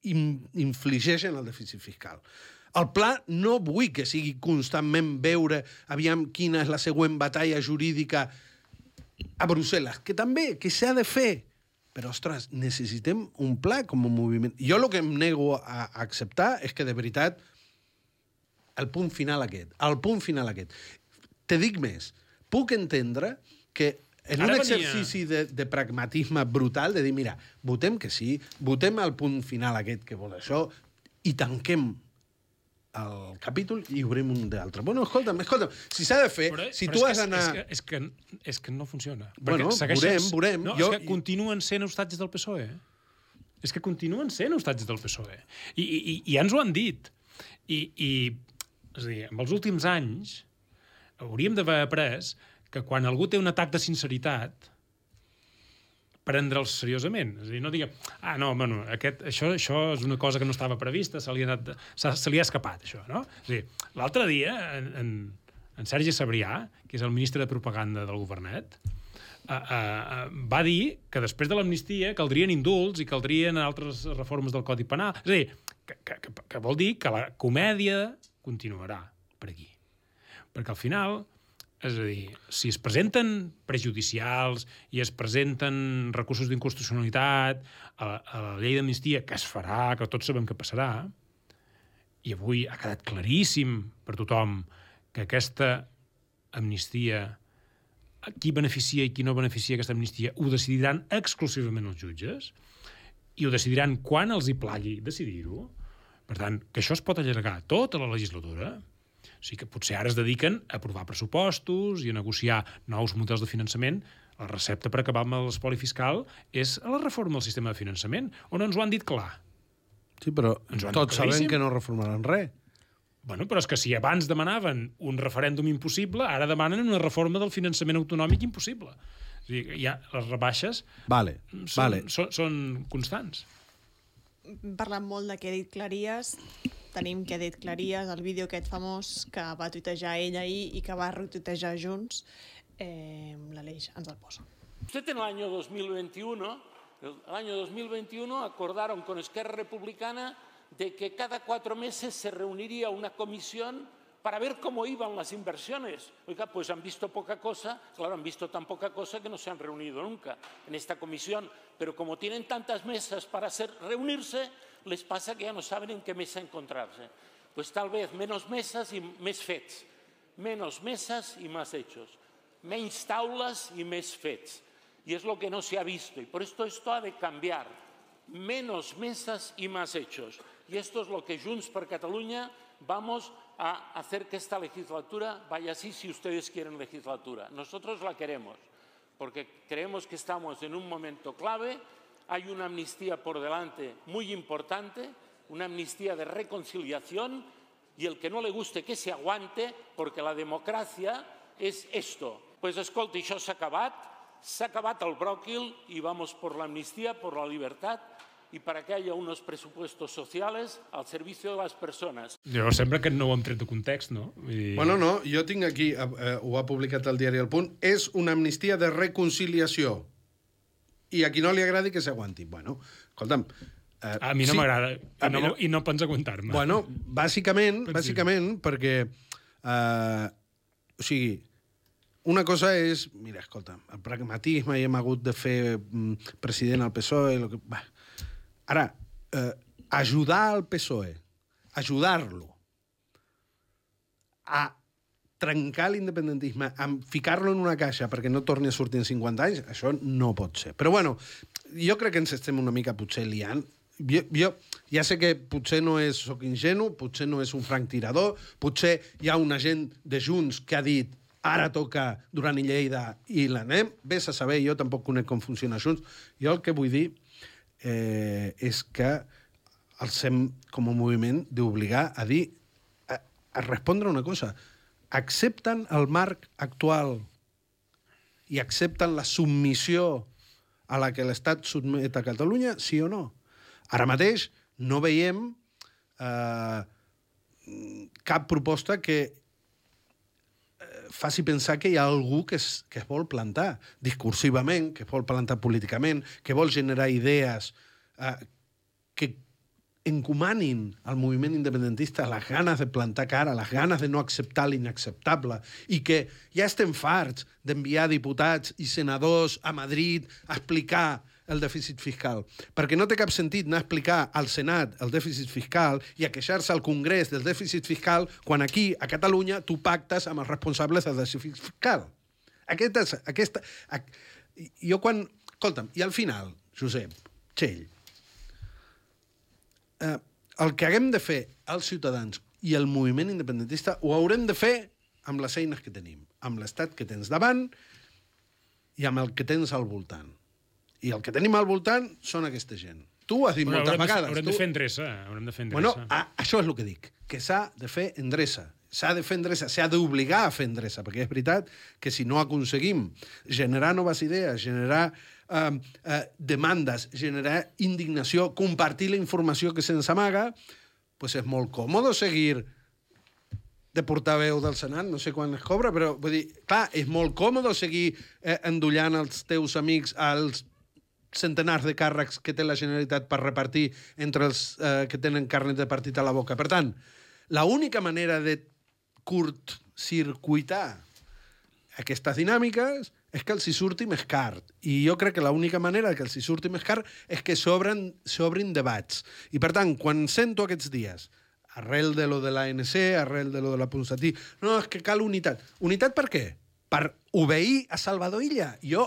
Speaker 2: infligeixen el dèficit fiscal. El pla no vull que sigui constantment veure aviam quina és la següent batalla jurídica a Brussel·les, que també, que s'ha de fer. Però, ostres, necessitem un pla com a moviment. Jo el que em nego a acceptar és que, de veritat, el punt final aquest. Te dic més. Puc entendre que en un exercici de pragmatisme brutal, de dir, mira, votem que sí, votem el punt final aquest que vol això i tanquem el capítol i obrim un d'altre. Bueno, escolta'm, si s'ha de fer, si tu has d'anar...
Speaker 3: És que no funciona.
Speaker 2: Bueno, veurem.
Speaker 3: No, és que continuen sent ostatges del PSOE. És que continuen sent ostatges del PSOE. I ja ens ho han dit. És a dir, en els últims anys hauríem d'haver après que quan algú té un atac de sinceritat, prendre'ls seriosament. És a dir, no diguem, això és una cosa que no estava prevista, se li ha escapat, això, no? És a dir, l'altre dia, en Sergi Sabrià, que és el ministre de Propaganda del Governet, va dir que després de l'amnistia caldrien indults i caldrien altres reformes del Codi Penal. És a dir, que vol dir que la comèdia continuarà per aquí. Perquè al final... És a dir, si es presenten prejudicials i es presenten recursos d'inconstitucionalitat a la llei d'amnistia, que es farà, que tots sabem que passarà, i avui ha quedat claríssim per tothom que aquesta amnistia, qui beneficia i qui no beneficia aquesta amnistia, ho decidiran exclusivament els jutges i ho decidiran quan els hi plagui decidir-ho. Per tant, que això es pot allargar tota la legislatura. O sigui que potser ara es dediquen a aprovar pressupostos i a negociar nous models de finançament. La recepta per acabar amb l'espoli fiscal és la reforma del sistema de finançament, on ens ho han dit clar.
Speaker 2: Sí, però tots sabem que no reformaran res.
Speaker 3: Bueno, però és que si abans demanaven un referèndum impossible, ara demanen una reforma del finançament autonòmic impossible. O sigui, ja les rebaixes són constants.
Speaker 1: Parlant molt de què ha dit Cleries, tenim que ha dit Cleries, el vídeo aquest famós que va tuitejar ell ahir i que va retuitejar Junts, l'Aleix ens el posa.
Speaker 5: Usted en el año 2021 acordaron con Esquerra Republicana de que cada 4 meses se reuniría una comisión para ver cómo iban las inversiones. Oiga, pues han visto poca cosa, claro, han visto tan poca cosa que no se han reunido nunca en esta comisión, pero como tienen tantas mesas para reunirse, les pasa que ja no saben en què mesa encontrarse. Pues tal vez menos mesas i més fets. Menos mesas y más hechos. Menys taules y més fets. Y es lo que no se ha visto. Y por esto ha de cambiar. Menos mesas y más hechos. Y esto es lo que Junts per Catalunya vamos a hacer que esta legislatura vaya así si ustedes quieren legislatura. Nosotros la queremos, porque creemos que estamos en un momento clave. hay una amnistía por delante muy importante, una amnistía de reconciliación, y el que no le guste que se aguante, porque la democracia es esto. Pues escolta, això s'ha acabat el bròquil y vamos por la amnistía, por la libertad y para que haya unos presupuestos sociales al servicio de las personas.
Speaker 3: Jo sembla que no ho hem tret de context, no?
Speaker 2: Bueno, no, jo tinc aquí, ho ha publicat el diari El Punt, és una amnistia de reconciliació. I a qui no li agradi que s'aguanti. Bueno, escolta'm...
Speaker 3: A mi no m'agrada, i no pots aguantar-me.
Speaker 2: Bueno, bàsicament perquè... O sigui, una cosa és... Mira, escolta, el pragmatisme i hem hagut de fer president al PSOE... Ara, ajudar al PSOE, ajudar-lo a trencar l'independentisme, a ficar-lo en una caixa perquè no torni a sortir en 50 anys, això no pot ser. Però bueno, jo crec que ens estem una mica potser liant. Jo ja sé que potser no soc ingenu, potser no és un franc tirador, potser hi ha una gent de Junts que ha dit ara toca Duran i Lleida i l'anem. Ves a saber, jo tampoc conec com funciona Junts. Jo el que vull dir és que els hem, com a moviment, d'obligar a dir, a respondre una cosa. Accepten el marc actual i accepten la submissió a la que l'Estat sotmet a Catalunya, sí o no? Ara mateix no veiem cap proposta que faci pensar que hi ha algú que es vol plantar discursivament, que es vol plantar políticament, que vol generar idees que encomanin al moviment independentista les ganes de plantar cara, les ganes de no acceptar l'inacceptable, i que ja estem farts d'enviar diputats i senadors a Madrid a explicar el dèficit fiscal. Perquè no té cap sentit anar a explicar al Senat el dèficit fiscal i a queixar-se al Congrés del dèficit fiscal quan aquí, a Catalunya, tu pactes amb els responsables del dèficit fiscal. Jo quan... Escolta'm, i al final, Josep, Txell, el que haguem de fer els ciutadans i el moviment independentista ho haurem de fer amb les eines que tenim, amb l'estat que tens davant i amb el que tens al voltant. I el que tenim al voltant són aquesta gent. Tu ho has dit moltes vegades.
Speaker 3: Haurem de fer endreça.
Speaker 2: Bueno, això és el que dic, que s'ha de fer endreça. S'ha de fer endreça, s'ha d'obligar a fer endreça, perquè és veritat que si no aconseguim generar noves idees, generar demandes, generar indignació, compartir la informació que se'ns amaga, pues és molt còmode seguir de portaveu del Senat, no sé quan es cobra, però vull dir, clar, és molt còmode seguir endollant els teus amics als centenars de càrrecs que té la Generalitat per repartir entre els que tenen carnet de partit a la boca. Per tant, l'única manera de curtcircuitar aquestes dinàmiques és que els hi surti més car. I jo crec que l'única manera que els hi surti més car és que s'obrin debats. I per tant, quan sento aquests dies, arrel de lo de l'ANC, arrel de lo de la Ponsatí, no, és que cal unitat. Unitat per què? Per obeir a Salvador Illa. Jo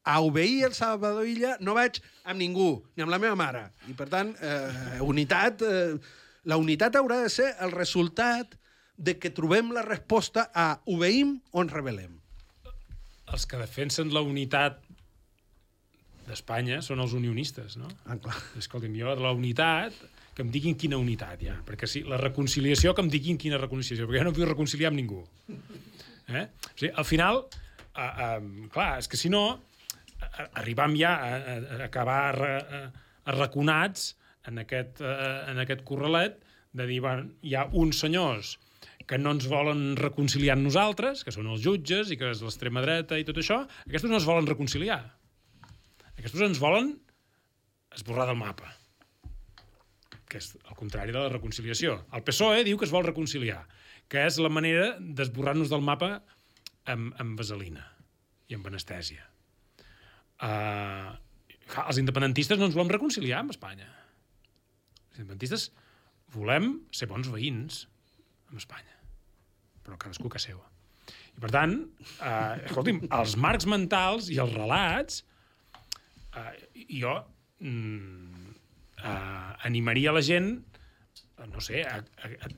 Speaker 2: a obeir el Salvador Illa no vaig amb ningú, ni amb la meva mare. I, per tant, la unitat haurà de ser el resultat de que trobem la resposta a obeïm o ens rebel·lem.
Speaker 3: Els que defensen la unitat d'Espanya són els unionistes, no?
Speaker 2: Clar.
Speaker 3: Escolta'm, jo de la unitat, que em diguin quina unitat hi ha. Perquè sí, la reconciliació, que em diguin quina reconciliació, perquè jo no vull reconciliar amb ningú. O sigui, al final, clar, és que si no, arribam ja a acabar arraconats en aquest corralet de dir, bueno, hi ha uns senyors que no ens volen reconciliar amb nosaltres, que són els jutges i que és l'extrema dreta i tot això, aquests no es volen reconciliar. Aquests ens volen esborrar del mapa, que és el contrari de la reconciliació. El PSOE diu que es vol reconciliar, que és la manera d'esborrar-nos del mapa amb vaselina i amb anestèsia. Els independentistes no ens volem reconciliar amb Espanya. Els independentistes volem ser bons veïns amb Espanya, però cadascú que seva. I per tant, escolti'm, els marcs mentals i els relats, jo animaria la gent, no sé,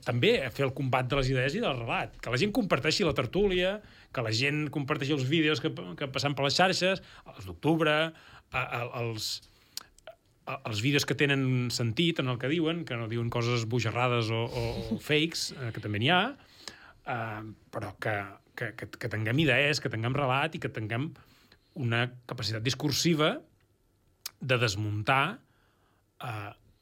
Speaker 3: també a fer el combat de les idees i del relat, que la gent comparteixi la tertúlia, que la gent comparteixi els vídeos que passen per les xarxes, els d'octubre, els vídeos que tenen sentit en el que diuen, que no diuen coses bojarrades o fakes, que també n'hi ha, però que tinguem idees, que tinguem relat i que tinguem una capacitat discursiva de desmuntar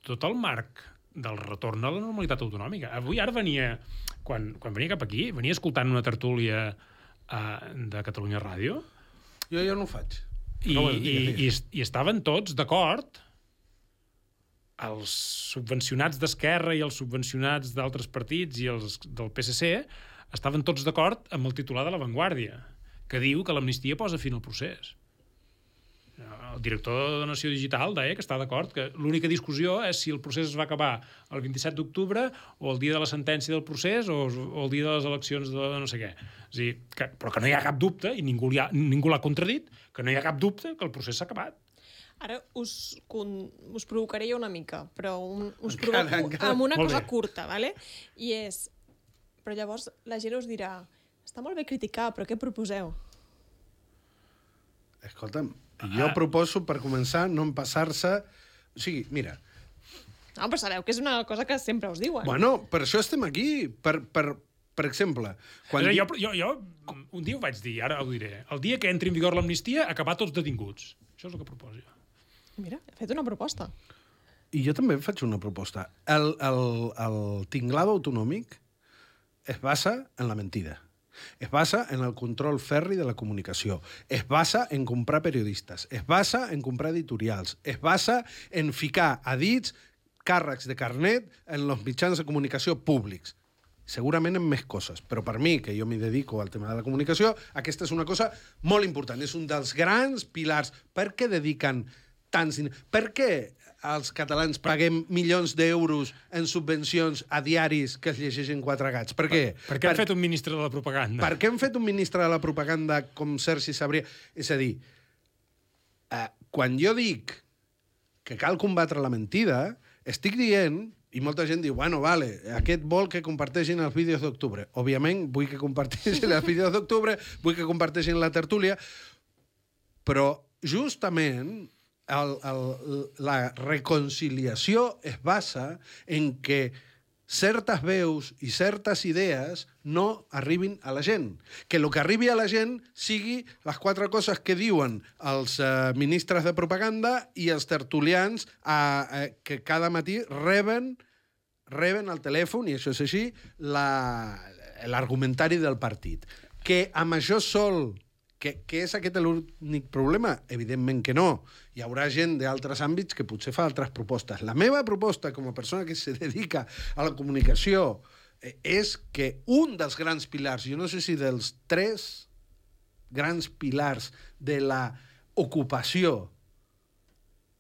Speaker 3: tot el marc del retorn a la normalitat autonòmica. Avui ara venia, quan venia cap aquí, venia escoltant una tertúlia de Catalunya Ràdio.
Speaker 2: Jo no ho faig.
Speaker 3: I estaven tots d'acord, els subvencionats d'Esquerra i els subvencionats d'altres partits i els del PSC estaven tots d'acord amb el titular de La Vanguardia, que diu que l'amnistia posa fin al procés. El director de Nació Digital deia que està d'acord, que l'única discussió és si el procés es va acabar el 27 d'octubre o el dia de la sentència del procés o el dia de les eleccions de no sé què. És a dir, però que no hi ha cap dubte, i ningú l'ha contradit, que no hi ha cap dubte que el procés s'ha acabat.
Speaker 1: Ara us provocaré jo una mica, però us provoco amb una cosa curta, ¿vale? I és... Però llavors la gent us dirà, està molt bé criticar, però què proposeu?
Speaker 2: Escolta'm, jo proposo, per començar, no empassar-se... O sigui, mira...
Speaker 1: No, però sabeu que és una cosa que sempre us diuen.
Speaker 2: Bueno, per això estem aquí. Per exemple...
Speaker 3: Jo un dia ho vaig dir, ara ho diré. El dia que entri en vigor l'amnistia, acabar tots detinguts. Això és el que proposo jo.
Speaker 1: Mira, he fet una proposta.
Speaker 2: I jo també faig una proposta. El tinglado autonòmic es basa en la mentida. Es basa en el control ferri de la comunicació. Es basa en comprar periodistes. Es basa en comprar editorials. Es basa en ficar a dits càrrecs de carnet en els mitjans de comunicació públics. Segurament en més coses, però per mi, que jo m'hi dedico al tema de la comunicació, aquesta és una cosa molt important. És un dels grans pilars. Per què dediquen tants diners? Per què els catalans paguem milions d'euros en subvencions a diaris que es llegeixen quatre gats? Per què?
Speaker 3: Per què han fet un ministre de la propaganda?
Speaker 2: Per què han fet un ministre de la propaganda com Sergi Sabrià? És a dir, quan jo dic que cal combatre la mentida, estic dient, i molta gent diu, bueno, vale, aquest vol que comparteixin els vídeos d'octubre. Òbviament, vull que comparteixin els vídeos d'octubre, vull que comparteixin la tertúlia, però justament la reconciliació es basa en que certes veus i certes idees no arribin a la gent. Que el que arribi a la gent sigui les quatre coses que diuen els ministres de propaganda i els tertulians que cada matí reben al telèfon, i això és així, l'argumentari del partit. Que amb això sol... Que és aquest l'únic problema? Evidentment que no. Hi haurà gent d'altres àmbits que potser fa altres propostes. La meva proposta, com a persona que se dedica a la comunicació, és que un dels grans pilars, jo no sé si dels 3 grans pilars de l'ocupació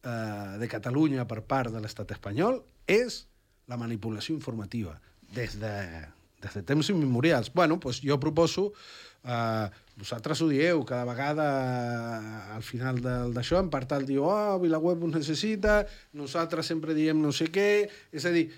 Speaker 2: de Catalunya per part de l'estat espanyol, és la manipulació informativa. Des de temps immemorials. Bueno, doncs jo proposo... vosaltres ho dieu, cada vegada al final d'això, en part diu, VilaWeb ho necessita, nosaltres sempre diem no sé què... És a dir,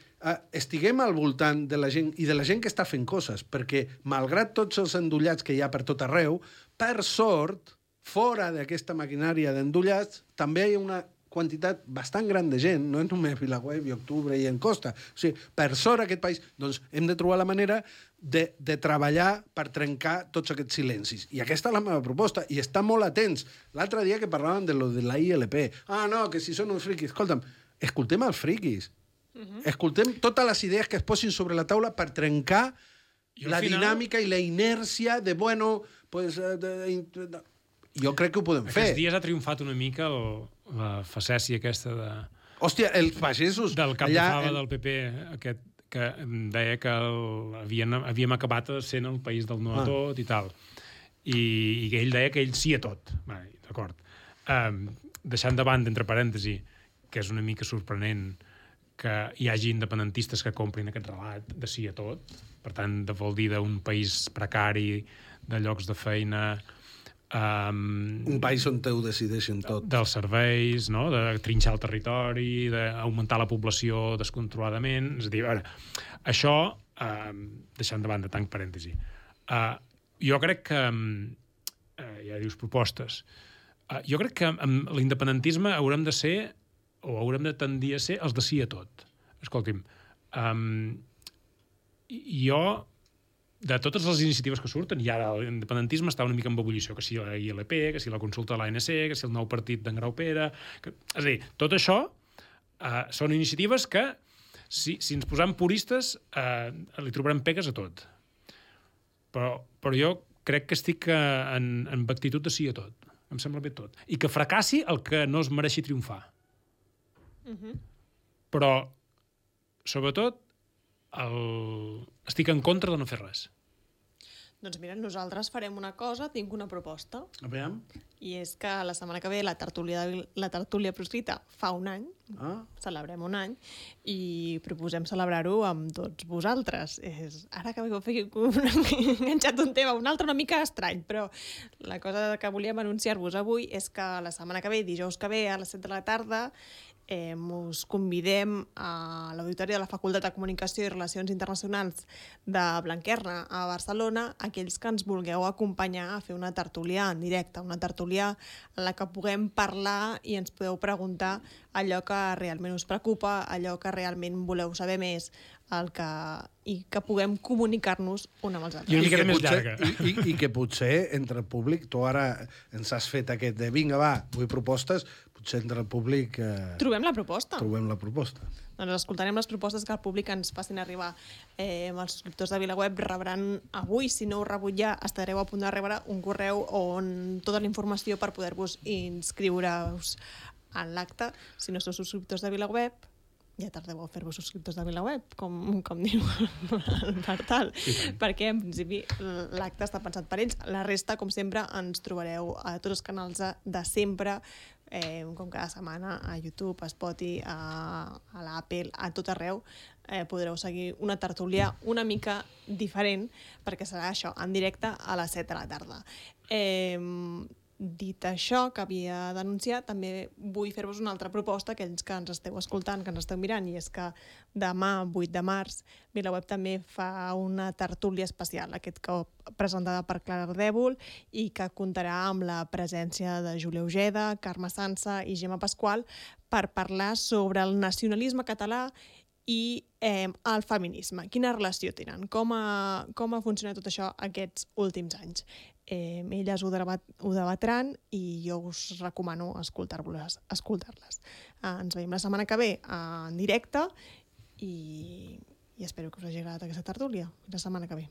Speaker 2: estiguem al voltant de la gent i de la gent que està fent coses, perquè, malgrat tots els endollats que hi ha per tot arreu, per sort, fora d'aquesta maquinària d'endollats, també hi ha una quantitat bastant gran de gent, no és només VilaWeb i Octubre i Encosta. O sigui, per sort aquest país, doncs hem de trobar la manera de treballar per trencar tots aquests silencis. I aquesta és la meva proposta, i estar molt atents. L'altre dia que parlàvem de lo de la ILP, no, que si són uns friquis. Escolta'm, escoltem els friquis. Escoltem totes les idees que es posin sobre la taula per trencar la dinàmica i la inèrcia de, bueno, pues... Jo crec que ho podem fer.
Speaker 3: Aquests dies ha triomfat una mica la facècia aquesta de...
Speaker 2: Hòstia, els pagesos...
Speaker 3: Del cap de fava del PP, aquest que deia que havíem acabat sent el país del no a tot i tal. I ell deia que ell sí a tot. D'acord. Deixant de banda, entre parèntesi, que és una mica sorprenent que hi hagi independentistes que comprin aquest relat de sí a tot. Per tant, vol dir d'un país precari, de llocs de feina...
Speaker 2: un país on ho decideixen tot.
Speaker 3: Dels serveis, no? De trinxar el territori, d'augmentar la població descontroladament. És a dir, això, deixant de banda tanc parèntesi, jo crec que, ja dius propostes, jo crec que amb l'independentisme haurem de ser o haurem de tendir a ser els de sí a tot. Escolti'm, jo, de totes les iniciatives que surten, i ara l'independentisme està una mica en ebullició, que si la ILP, que si la consulta de l'ANC, que si el nou partit d'en Graupera... És a dir, tot això són iniciatives que, si ens posam puristes, li trobarem pegues a tot. Però jo crec que estic en actitud de sí a tot. Em sembla bé tot. I que fracassi el que no es mereixi triomfar. Però, sobretot, estic en contra de no fer res.
Speaker 1: Doncs mira, nosaltres farem una cosa, tinc una proposta.
Speaker 2: A veure.
Speaker 1: I és que la setmana que ve la tertúlia proscrita fa un any, celebrem un any, i proposem celebrar-ho amb tots vosaltres. Ara que m'he enganxat un tema, un altre una mica estrany, però la cosa que volíem anunciar-vos avui és que la setmana que ve, dijous que ve, a les 7 de la tarda, us convidem a l'Auditori de la Facultat de Comunicació i Relacions Internacionals de Blanquerna a Barcelona, aquells que ens vulgueu acompanyar a fer una tertúlia en directe, una tertúlia en la que puguem parlar i ens podeu preguntar allò que realment us preocupa, allò que realment voleu saber més, i que puguem comunicar-nos un amb els altres.
Speaker 3: I una miqueta més llarga.
Speaker 2: I que potser entre el públic, tu ara ens has fet aquest de vinga, va, vull propostes, potser entre el públic...
Speaker 1: Trobem la proposta.
Speaker 2: Doncs
Speaker 1: escoltarem les propostes que el públic ens facin arribar. Els subscriptors de VilaWeb rebran avui, si no ho rebut ja, estareu a punt de rebre un correu on tota la informació per poder-vos inscriure-us en l'acte. Si no sou subscriptors de VilaWeb, ja tardeu a fer-vos subscriptors de VilaWeb, com diu el Bartal, perquè en principi l'acte està pensat per ells. La resta, com sempre, ens trobareu a tots els canals de sempre, com cada setmana, a YouTube, a Spotify, a l'Apple, a tot arreu. Podreu seguir una tertúlia una mica diferent, perquè serà això, en directe a les 7 de la tarda. Dit això, que havia d'anunciar, també vull fer-vos una altra proposta, aquells que ens esteu escoltant, que ens esteu mirant, i és que demà, 8 de març, VilaWeb també fa una tertúlia especial, aquest cop presentada per Clara Ardèvol, i que comptarà amb la presència de Júlia Ojeda, Carme Sansa i Gemma Pasqual per parlar sobre el nacionalisme català i el feminisme. Quina relació tenen? Com ha funcionat tot això aquests últims anys? Elles ho debatran i jo us recomano escoltar-les. Ens veiem la setmana que ve en directe i espero que us hagi agradat aquesta tertúlia. La setmana que ve.